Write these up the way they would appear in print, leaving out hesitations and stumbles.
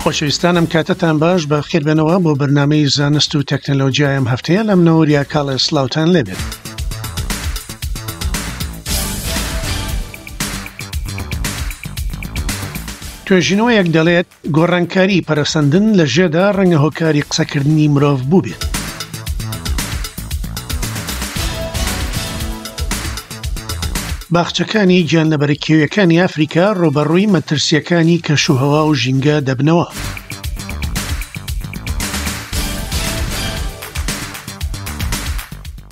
خۆشەویستان ئەم کاتەتان باش بە خێربێنەوە بۆ بەرنامەی زانست و تەکنەلۆجیای ئەم هەفتەیە لەم نەوریا کاڵێ سلااوان لێبێت. توێژینەوەیەک دەڵێت گۆڕانکاری پەرەسەندن لە ژێدا ڕەنگە هۆکاری قسەکردنی مرۆڤ بووبێت. باخچەکانی گیانلەبەرە کێویەکانی ئەفریکا ڕووبەڕووی مەترسییەکانی کەشوهەوا و ژینگە دەبنەوە.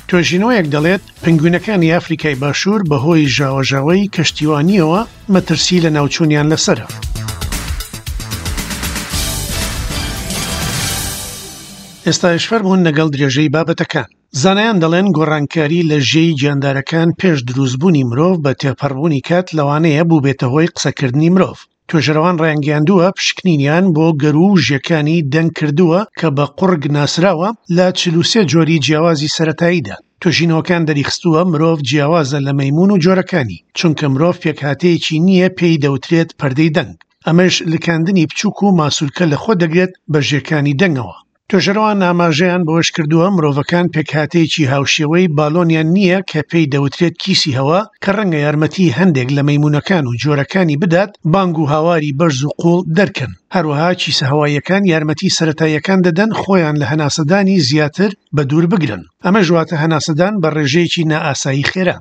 توێژینەوەیەک دەڵێت پەنگوینەکانی ئەفریکای باشوور بەهۆی ژاوەژاوی کەشتیوانییەوە مەترسی لەناوچوونیان لەسەرە. ئێستایش فەرموون لەگەڵ درێژەی بابەتەکان. زانایان دەڵێن گۆڕانکاری لە ژێی گیاندارەکان پێش دروستبوونی مرۆڤ بە تێپەڕبوونی کات لەوانەیە بووبێتە هۆی قسەکردنی مرۆڤ. توێژەرەوان ڕایانگەیاندووە پشکنینیان بۆ گەروو و ژێکانی دەنگ کردووە کە بە قوڕگ ناسراوە لە 43 جۆری جیاوازی سەرەتاییدا. توێژینەوەکان دەریخستووە مرۆڤ جیاوازە لە مەیموون و جۆرەکانی، چونکە مرۆڤ پێکهاتەیەکی نییە پێی دەوترێت پەردەی دەنگ، ئەمەش لکاندنی بچووک و ماسولکە لەخۆ دەگرێت بە ژێکانی دەنگەوە. توێژەرەوان ئاماژەیان بەوەشکردووە، مرۆڤەکان پێکهاتەیەکی هاوشێوەی بالۆنیان نییە کە پێی دەوترێت کیسی هەوا کە ڕەنگە یارمەتی هەندێک لە مەیموونەکان و جۆرەکانی بدات بانگ و هاواری بەرز و قووڵ دەرکەن، هەروەها کیسە هەواییەکان یارمەتی سەرەتاییەکان دەدەن خۆیان لە هەناسەدانی زیاتر بەدوور بگرن، ئەمەش واتە هەناسەدان بە ڕێژەیەکی نائاسایی خێرا.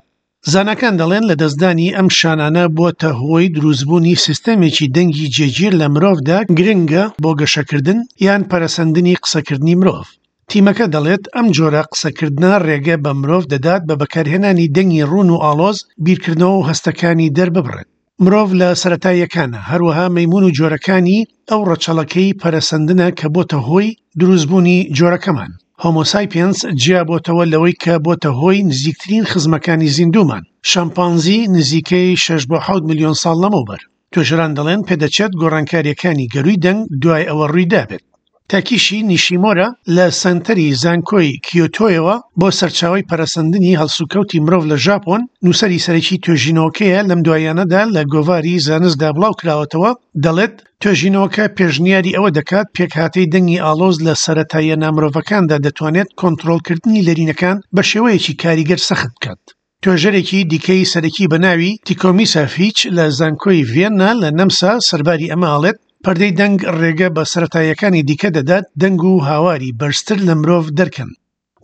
زاناکان دەڵێن لەدەستدانی ئەم شانانە بۆتە هۆی دروستبوونی سیستەمێکی دەنگی جێگیر لە مرۆڤدا گرنگە بۆ گەشەکردن یان پەرەسەندنی قسەکردنی مرۆڤ. تیمەکە دەڵێت ئەم جۆرە قسەکردنە ڕێگە بە مرۆڤ دەدات بە بەکارهێنانی دەنگی ڕوون و ئاڵۆز بیرکردنەوە و هەستەکانی دەرببڕێت. مرۆڤ لە سەرەتاییەکانە، هەروەها مەیموون و جۆرەکانی ئەو ڕەچەڵەکەی پەرەسەندنە کە بۆتە هۆی دروستبوونی جۆرەکەمان. هۆمۆسایپێنس جیا بۆتەوە لەوەی کە بۆتە هۆی نزیکترین خزمەکانی زیندوومان، شەمپانزی، نزیکەی شەش بۆ حەوت ملیۆن ساڵ لەمەوبەر. توێژەران دەڵێن پێدەچێت گۆڕانکارییەکانی گەرووی دەنگ دوای ئەوە ڕوویدابێت. تاکیشی نیشیمۆرا لە سەنتەری زانکۆی کیۆتۆیەوە بۆ سەرچاوەی پەرەسەندنی هەڵسوکەوتی مرۆڤ لە ژاپۆن، نووسەری سەرەکی توێژینەوەکەیە لەم دواییانەدا لە گۆڤاری زانستدا بڵاوکراوەتەوە، دەڵێت، توێژینەوەکە پێشنیاری ئەوە دەکات پێکهاتەی دەنگی ئاڵۆز لە سەرەتاییە نامرۆڤەکاندا دەتوانێت کۆنترۆڵکردنی لەرینەکان بە شێوەیەکی کاریگەر سەخت بکات. توێژەرێکی دیکەی سەرەکی بە ناوی تیکۆمیسا فیچ لە زانکۆی ڤیەننا لە نەمسا سەرباری ئەمە ئەڵێت، پەردەی دەنگ ڕێگە بە سەرەتاییەکانی دیکە دەدات دەنگ و هاواری بەرزتر لە مرۆڤ دەرکەن.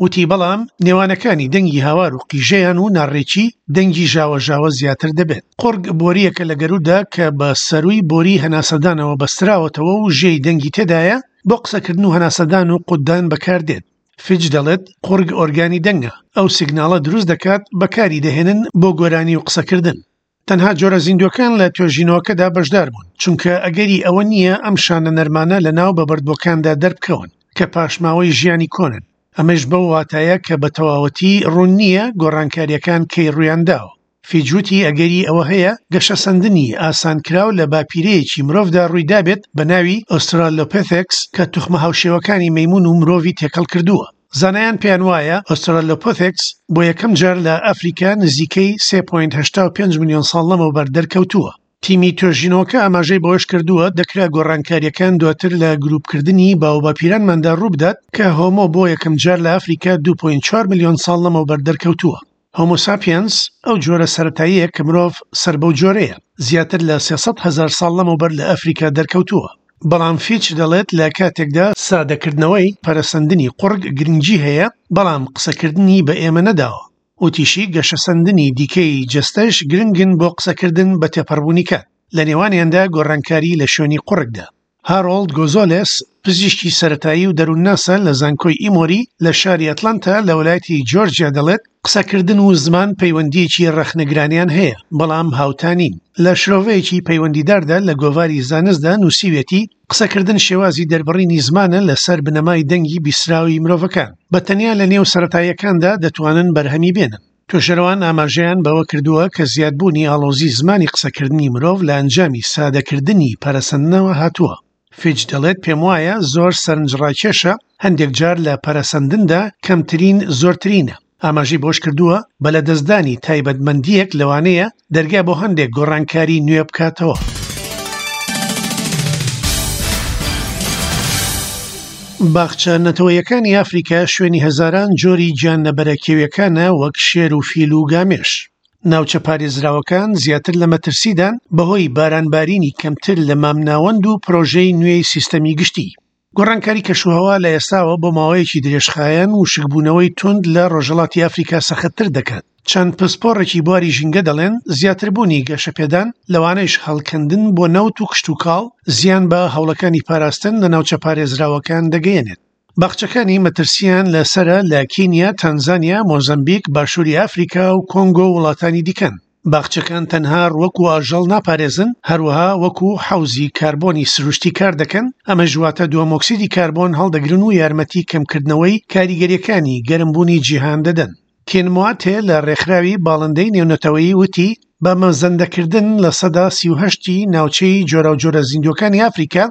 وتی بەڵام نێوانەکانی دەنگی هاوار و قیژەیان و ناڕێکی دەنگی ژاوەژاوە زیاتر دەبێت. قوڕگ بۆرییەکە لە گەروودا کە بە سەرووی بۆری هەناسەدانەوە بەستراوەتەوە و ژێی دەنگی تێدایە، بۆ قسەکردن و هەناسەدان و قوتدان بەکاردێت. فیچ دەڵێت قوڕگ ئۆرگانی دەنگە، ئەو سیگناڵە دروست دەکات بەکاری دەهێنن بۆ گۆرانی و قسەکردن. تەنها جۆرە زیندووەکان لە توێژینەوەکەدا بەشدار بوون، چونکە ئەگەری ئەوە نییە ئەم شانە نەرمانە لەناو بەبەردبووەکاندا دەربکەون کە پاشماوەی ژیانی کۆنن، ئەمەیش بەو واتایە کە بە تەواوەتی ڕوون نییە گۆڕانکارییەکان کەی ڕوویانداوە. فیچ وتی ئەگەری ئەوە هەیە گەشەسەندنی ئاسانکراو لە باپیرەیەکی مرۆڤدا ڕوویدابێت بە ناوی ئۆسترالۆپێثێکس کە توخمە هاوشێوەکانی مەیمون و مرۆڤی تێکەڵ کردووە. زانایان پێیان وایە ئۆسترالۆپێثێکس بۆ یەکەم جار لە ئەفریکا نزیکەی 3.85 ملیۆن ساڵ لەمەوبەر دەرکەوتووە. تیمی توێژینەوەکە ئاماژەی بەوەشکردووە، دەکرا گۆڕانکارییەکان دواتر لە گروپکردنی باوباپیرانماندا ڕووبدات کە هۆمۆ بۆ یەکەمجار لە ئەفریکا 2.4 ملیۆن ساڵ لەمەوبەر دەرکەوتووە. هۆمۆساپیەنس ئەو جۆرە سەرەتاییە کە مرۆڤ سەر بەو جۆرەیە، زیاتر لە 300 هەزار ساڵ لەمەوبەر لە ئەفریکا دەرکەوتووە. بەڵام فیچ دەڵێت لە کاتێکدا سادەکردنەوەی پەرەسەندنی قوڕگ گرنگی هەیە، بەڵام قسەکردنی بە ئێمە نەداوە. وتیشی گەشەسەندنی دیکەی جەستەش گرنگن بۆ قسەکردن بە تێپەڕبوونی کات، لە نێوانیاندا گۆڕانکاری لە شوێنی قوڕگدا. هارۆڵد گۆزۆلێس، پزیشکی سەرەتایی و دەروونناسە لە زانکۆی ئیمۆری لە شاری ئەتلانتا لە ویلایەتی جۆرجیا دەڵێت، قسەکردن و زمان پەیوەندییەکی ڕەخنەگرانەیان هەیە، بەڵام هاوتا نین. لە شرۆڤەیەکی پەیوەندیداردا لە گۆڤاری زانستدا نووسیویەتی، قسەکردن شێوازی دەربڕینی زمانە لەسەر بنەمای دەنگی بیستراوی مرۆڤەکان. بە تەنیا لە نێو سەرەتاییەکاندا دەتوانن بەرهەمی بێنن. توێژەرەوان ئاماژەیان بەوە کردووە کە زیادبوونی ئاڵۆزی زمانی قسەکردنی مرۆڤ لە ئەنجامی سادەکردنی پەرەسەندنەوە هاتووە. فیچ دەڵێت پێموایە زۆر سەرنجڕاکێشە هەندێک جار لە پەرەسەندندا کەمترین زۆرترینە. ئاماژەی بەوەشکردووە، بە لەدەستدانی تایبەتمەندییەک لەوانەیە دەرگا بۆ هەندێک گۆڕانکاری نوێ بکاتەوە. باخچە نەتەوەیەکانی ئەفریکا شوێنی هەزاران جۆری گیانلەبەرە کێویەکانە وەک شێر و فیل و گامێش. ناوچە پارێزراوەکان زیاتر لە مەترسیدان بەهۆی بارانبارینی کەمتر لە مامناوەند و پرۆژەی نوێی سیستەمی گشتی. گۆڕانکاری کەشوهەوا لە ئێستاوە بۆ ماوەیەکی درێژخایەن وشکبوونەوەی توند لە ڕۆژهەڵاتی ئەفریکا سەختتر دەکات. چەند پسپۆڕێکی بواری ژینگە دەڵێن زیاتربوونی گەشەپێدان، لەوانەیش هەڵکەندن بۆ نەوت و کشتوکاڵ، زیان بە هەوڵەکانی پاراستن لە ناوچە پارێزراوەکان دەگەیەنێت. باخچەکانی مەترسییان لەسەرە لە کینیا، تەنزانیا، مۆزەمبیک، باشووری ئەفریکا و کۆنگۆ و وڵاتانی دیکەن. باخچەکان تەنها ڕوەک و ئاژەڵ ناپارێزن، هەروەها وەکو حەوزی کاربۆنی سروشتی کاردەکەن، ئەمەش واتە دووەمۆکسیدی کاربۆن هەڵدەگرن و یارمەتی کەمکردنەوەی کاریگەرییەکانی گەرمبوونی جیهان دەدەن. کین مواتێ لە ڕێکخراوی باڵندەی نێونەتەوەیی وتی، بە مەزەندەکردن 38% ی ناوچەی جۆراوجۆرە زیندووەکانی ئەفریکا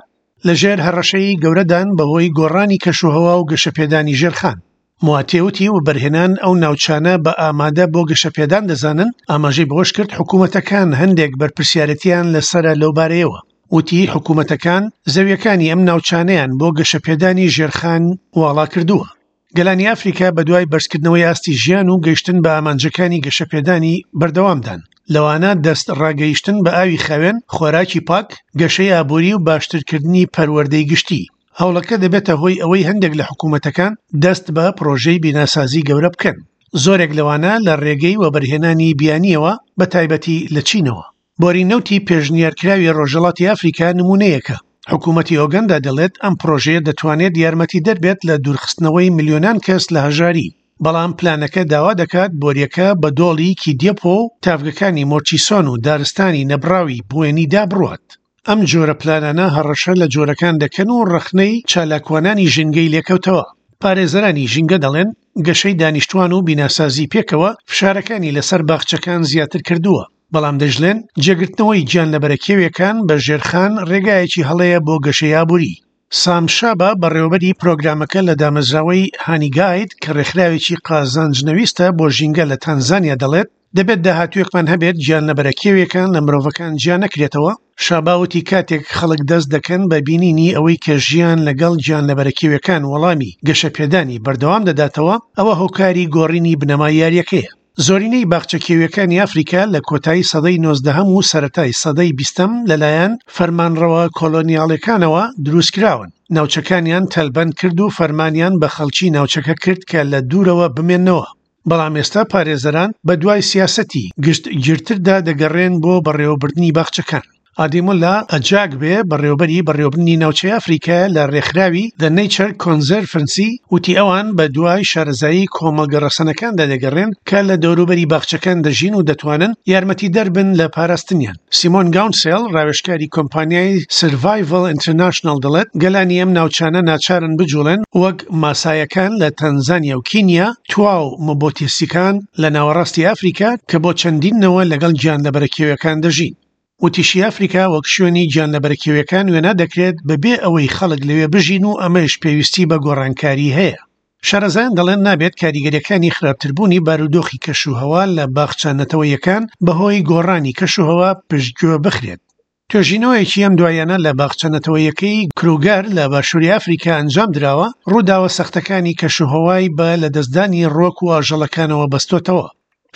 لەژێر هەڕەشەی گەورەدان بەهۆی گۆڕانی کەشوهەوا و گەشەپێدانی ژێرخان. مواتێ وتی وەبەرهێنان ئەو ناوچانە بە ئامادە بۆ گەشەپێدان دەزانن، ئاماژەی بەوەشکرد حکومەتەکان هەندێک بەرپرسیارێتیان لەسەرە لەوبارەیەوە. وتی حکومەتەکان زەویەکانی ئەم ناوچانەیان بۆ گەشەپێدانی ژێرخان واڵا کردووە. گەلانی ئەفریکا بەدوای بەرزکردنەوەی ئاستی ژیان و گەیشتن بە ئامانجەکانی گەشەپێدانی بەردەوامدان، لەوانە دەست ڕاگەیشتن بە ئاوی خاوێن، خۆراکی پاک، گەشەی ئابووری و باشترکردنی پەروەردەی گشتی. هەوڵەکە دەبێتە هۆی ئەوەی هەندێک لە حکوومەتەکان دەست بە پڕۆژەی بیناسازی گەورە بکەن، زۆرێک لەوانە لە ڕێگەی وەبەرهێنانی بیانییەوە، بەتایبەتی لە چینەوە. بۆری نەوتی پێشنیارکراوی ڕۆژهەڵاتی ئەفریکا نموونەیەکە. حکوومەتی ئۆگەندا دەڵێت ئەم پڕۆژەیە دەتوانێت یارمەتیدەر بێت لە دوورخستنەوەی ملیۆنان کەس لە هەژاری، بەڵام پلانەکە داوا دەکات بۆرییەکە بە دۆڵی کیدێپۆ و تاڤگەکانی مۆرچیسۆن و دارستانی نەبڕاوی بوێنیدا بڕوات. ئەم جۆرە پلانانە هەڕەشە لە جۆرەکان دەکەن و ڕەخنەی چالاکوانانی ژینگەی لێکەوتەوە. پارێزەرانی ژینگە دەڵێن گەشەی دانیشتوان و بیناسازی پێکەوە فشارەکانی لەسەر باخچەکان زیاتر کردووە، بەڵام دەشڵێن جێگرتنەوەی گیانلەبەرە کێویەکان بە ژێرخان ڕێگایەکی هەڵەیە بۆ گەشەی ئابووری. سام شابا بەڕێوەبەری پرۆگرامەکە لە دامەزراوەی هانی گاید کە ڕێکخراوێکی قازانج نەویستە بۆ ژینگە لە تانزانیا دەڵێت دەبێت داهاتوویەکمان هەبێت گیانلەبەرە کێویەکان لە مرۆڤەکان جیا نەکرێتەوە. شابا وتی کاتێک خەڵک دەست دەکەن بە بینینی ئەوەی کە ژیان لەگەڵ گیانلەبەرە کێویەکان وەڵامی گەشەپێدانی بەردەوام دەداتەوە، ئەوە هۆکاری گۆڕینی بنەمای یاریەکەیە. زۆرینەی باخچە کێویەکانی ئەفریکا لە کۆتایی سەدەی نۆزدەهەم و سەرەتای سەدەی بیستەم لەلایەن فەرمانڕەوە کۆلۆنیاڵەکانەوە دروستکراون، ناوچەکانیان تەلبەند کرد و فەرمانیان بە خەڵکی ناوچەکە کرد کە لە دوورەوە بمێننەوە. بەڵام ئێستا پارێزەران بەدوای سیاسەتی گشتگیرتردا دەگەڕێن بۆ بەڕێوەبردنی باخچەکان. ئادیمولا ئەجاگبێ، بەڕێوەبەری بەڕێوەبردنی ناوچەی ئەفریکایە لە ڕێکخراوی The Nature Conservancy، وتی ئەوان بە دوای شارەزایی کۆمەڵگە ڕەسەنەکاندا دەگەڕێن کە لە دەوروبەری باخچەکان دەژین و دەتوانن یارمەتیدەر بن لە پاراستنیان. سیمۆن گاونسێڵ، ڕاوێژکاری کۆمپانیای Survival International دەڵێت، گەلانی ئەم ناوچانە ناچارن بجوڵێن وەک ماسایەکان لە تەنزانیا و کینیا، توا و مبۆتیسیکان لە ناوەڕاستی ئەفریکا کە بۆ چەندین نەوە لەگەڵ گیانلەبەرە کێویەکان دەژین. وتیشی ئەفریکا وەک شوێنی گیانلەبەرە کێویەکان وێنا دەکرێت بەبێ ئەوەی خەڵک لەوێ بژین و ئەمەیش پێویستی بە گۆڕانکاری هەیە. شارەزایان دەڵێن نابێت کاریگەریەکانی خراپتربوونی بارودۆخی کەشوهەوا لە باخچە نەتەوەییەکان بەهۆی گۆڕانی کەشوهەوا پشتگوێ بخرێت. توێژینەوەیەکی ئەم دواییانە لە باخچە نەتەوەییەکەی کروگەر لە باشووری ئەفریکا ئەنجامدراوە، ڕووداوە سەختەکانی کەشوهەوای بە لەدەستدانی ڕووەک و ئاژەڵەکانەوە بەستۆتەوە.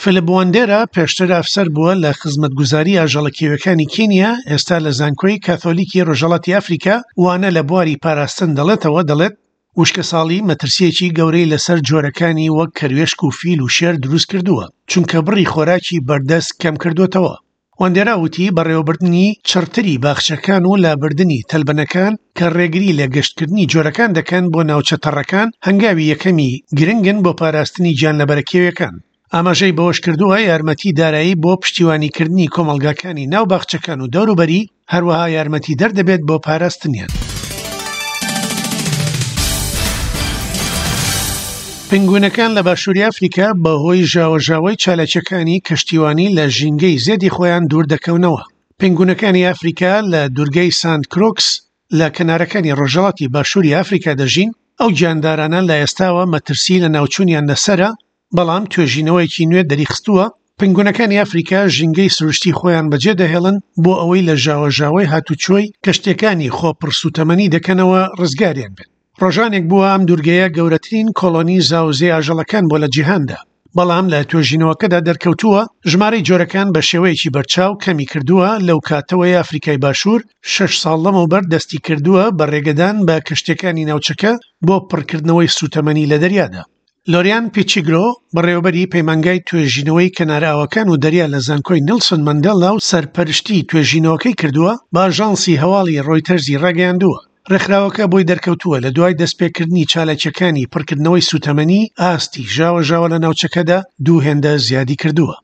فیلیپ واندێرا پێشتر ئەفسەر بووە لە خزمەتگوزاری ئاژەڵە کێویەکانی کینیا، ئێستا لە زانکۆی کاثۆلیکی ڕۆژهەڵاتی ئەفریکا وانە لە بواری پاراستن دەڵێتەوە، دەڵێت، وشکەساڵی مەترسییەکی گەورەی لەسەر جۆرەکانی وەک کەروێشک و فیل و شێر دروستکردووە، چونکە بڕی خۆراکی بەردەست کەمکردۆتەوە. واندێرا وتی، بەڕێوەبردنی چڕتری باخچەکان و لابردنی تەلبەنەکان کە ڕێگری لە گەشتکردنی جۆرەکان دەکەن بۆ ناوچە تەڕەکان، هەنگاوی یەکەمی گرنگن بۆ پاراستنی گیانلەبەرە کێویەکان. ئاماژەی بەوەشکردووە، یارمەتی دارایی بۆ پشتیوانیکردنی کۆمەڵگاکانی ناو باخچەکان و دەوروبەری، هەروەها یارمەتیدەر دەبێت بۆ پاراستنیان. پنگوینەکان لە باشووری ئەفریکا بەهۆی ژاوەژاوی چالاکیەکانی کەشتیوانی لە ژینگەی زێدی خۆیان دوور دەکەونەوە. پنگونەکانی ئەفریکا لە دوورگەی سانت کرۆکس لە کەنارەکانی ڕۆژهەڵاتی باشووری ئەفریکا دەژین، ئەو گیاندارانە لە ئێستاوە مەترسی لەناوچوونیان لەسەرە، بەڵام توێژینەوەیەکی نوێ دەریخستووە پنگونەکانی ئەفریکا ژینگەی سروشتی خۆیان بەجێدەهێڵن بۆ ئەوەی لە ژاوەژاوی هاتوچۆی کەشتیەکانی خۆپڕسوتەمەنی دەکەنەوە ڕزگاریان بێت. ڕۆژانێک بووە ئەم دوورگەیە گەورەترین کۆڵۆنی زاوزێی ئاژەڵەکان بووە لە جیهاندا، بەڵام لە توێژینەوەکەدا دەرکەوتووە ژمارەی جۆرەکان بە شێوەیەکی بەرچاو کەمی کردووە لەو کاتەوەی ئەفریکای باشوور شەش ساڵ لەمەوبەر دەستی کردووە بە ڕێگەدان بە کەشتیەکانی ناوچەکە بۆ پڕکردنەوەی سووتەمەنی لە دەریادا. لۆریان پیچیگرۆ، بەڕێوەبەری پەیمانگای توێژینەوەی کەنارئاوەکان و دەریا لە زانکۆی نیلسۆن مەندێلا و سەرپەرشتی توێژینەوەکەی کردووە، بە ئاژانسی هەواڵی ڕۆیتەرزی ڕاگەیاندووە، ڕێکخراوەکە بۆی دەرکەوتووە لە دوای دەستپێکردنی چالاکییەکانی پڕکردنەوەی سووتەمەنی، ئاستی ژاوەژاوە لە ناوچەکەدا دوو هێندە زیادی کردووە.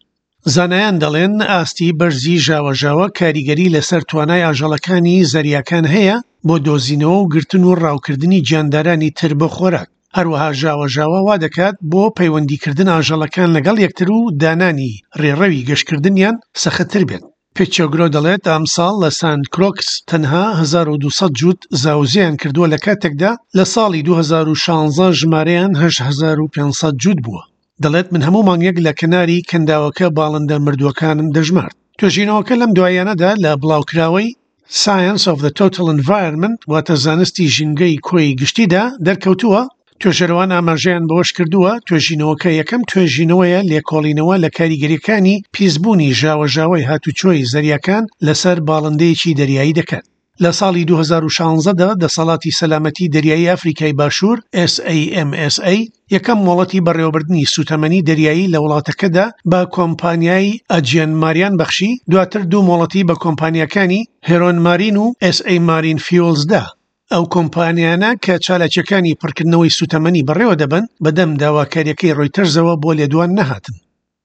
زانایان دەڵێن ئاستی بەرزی ژاوەژاوە کاریگەری لەسەر توانای ئاژەڵەکانی زەریاکان هەیە بۆ دۆزینەوە و گرتن و ڕاوکردنی گیاندارانی تر بۆ خۆراک، هەروەها ژاوەژاوە وا دەکات بۆ پەیوەندیکردن ئاژەڵەکان لەگەڵ یەکتر و دانانی ڕێڕەوی گەشتکردنیان سەختتر بێت. پیچۆگرۆ دەڵێت ئەمساڵ لە سانت کرۆکس تەنها 1200 جووت زاوزێیان کردووە لە کاتێکدا لە ساڵی 2016 ژمارەیان 8500 جووت بووە. دەڵێت من هەموو مانگێک لە کەناری کەنداوەکە باڵندە مردووەکانم دەژمارد. توێژینەوەکە لەم دواییانەدا لە بڵاوکراوەی Science of the Total Environment واتە زانستی ژینگەی کۆی گشتیدا دەرکەوتووە، توێژەرەوان ئاماژەیان بەوەشکردووە، توێژینەوەکە یەکەم توێژینەوەیە لێکۆڵینەوە لە کاریگەرییەکانی پیسبوونی ژاوەژاوی هاتوچۆی زەریاکان لەسەر باڵندەیەکی دەریایی دەکات. لە ساڵی 2016 دا دەسەڵاتی سەلامەتی دەریایی ئەفریکای باشوور، SAMSA، یەکەم مۆڵەتی بەڕێوەبردنی سووتەمەنی دەریایی لە وڵاتەکەدا بە کۆمپانیای ئەجیەن ماریان بەخشی، دواتر دوو مۆڵەتی بە کۆمپانیاکانی هێرۆن مارین و SA مارین فیوڵز دا. ئەو کۆمپانیانە کە چالاکییەکانی پڕکردنەوەی سووتەمەنی بەڕێوە دەبەن، بەدەم داواکارییەکەی ڕۆیتەرزەوە بۆ لێدوان نەهاتن.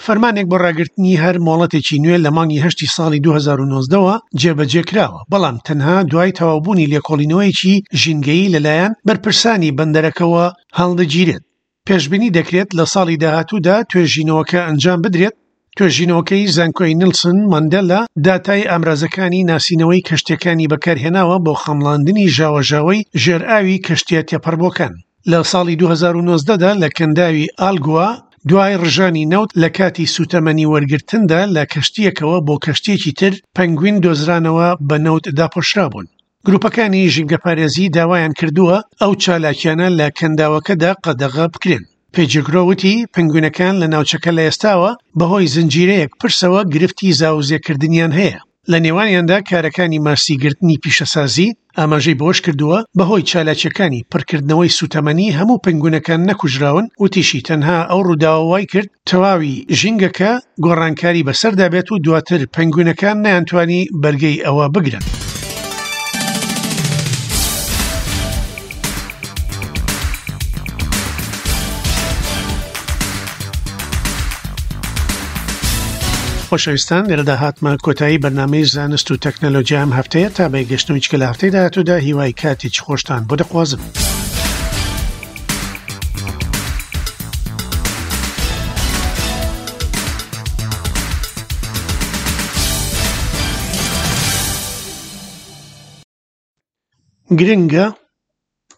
فەرمانێک بۆ ڕاگرتنی هەر مۆڵەتێکی نوێ لە مانگی هەشتی ساڵی 2019 وە جێبەجێ کراوە، بەڵام تەنها دوای تەواوبوونی لێکۆڵینەوەیەکی ژینگەیی لەلایەن بەرپرسانی بەندەرەکەوە هەڵدەگیرێت. پێشبینی دەکرێت لە ساڵی داهاتوودا توێژینەوەکە ئەنجام بدرێت. توێژینەوەکەی زانکۆی نیلسن ماندێلا داتای ئامرازەکانی ناسینەوەی کەشتییەکانی بەکارهێناوە بۆ خەمڵاندنی ژاوەژاوی ژێرئاوی کەشتییە تێپەڕبووەکان. لە ساڵی 2019 دا لە کەنداوی ئالگوا دوای ڕژانی نەوت لە کاتی سووتەمەنی وەرگرتندا لە کەشتییەکەوە بۆ کەشتییەکی تر پەنگوین دۆزرانەوە بە نەوت داپۆشرابوون. گروپەکانی ژینگەپارێزی داوایان کردووە ئەو چالاکیانە لە کەنداوەکەدا قەدەغە بکرێن. پێجگرۆ وتی، پەنگوینەکان لە ناوچەکە لە ئێستاوە بەهۆی زنجیرەیەک پرسەوە گرفتی زاوزێکردنیان هەیە، لە نێوانیاندا کارەکانی ماسیگرتنی پیشەسازی، ئاماژەی بەوەشکردووە، بەهۆی چالاکییەکانی پڕکردنەوەی سووتەمەنی هەموو پەنگوینەکان نەکوژراون، وتیشی، تەنها ئەو ڕووداوە وایکرد تەواوی ژینگەکە گۆڕانکاری بەسەردا بێت و دواتر پەنگوینەکان نەیانتوانی بەرگەی ئەوە بگرن. خۆشەویستان لێرەدا هاتمە کۆتایی بەرنامەی زانست و تەکنەلۆژیا ئەم هەفتەیە تا بە گەشتنەوەی کە لە هەفتەی داهاتوودا هیوای کاتێکی خۆشتان بۆ دەخوازم. گرنگە.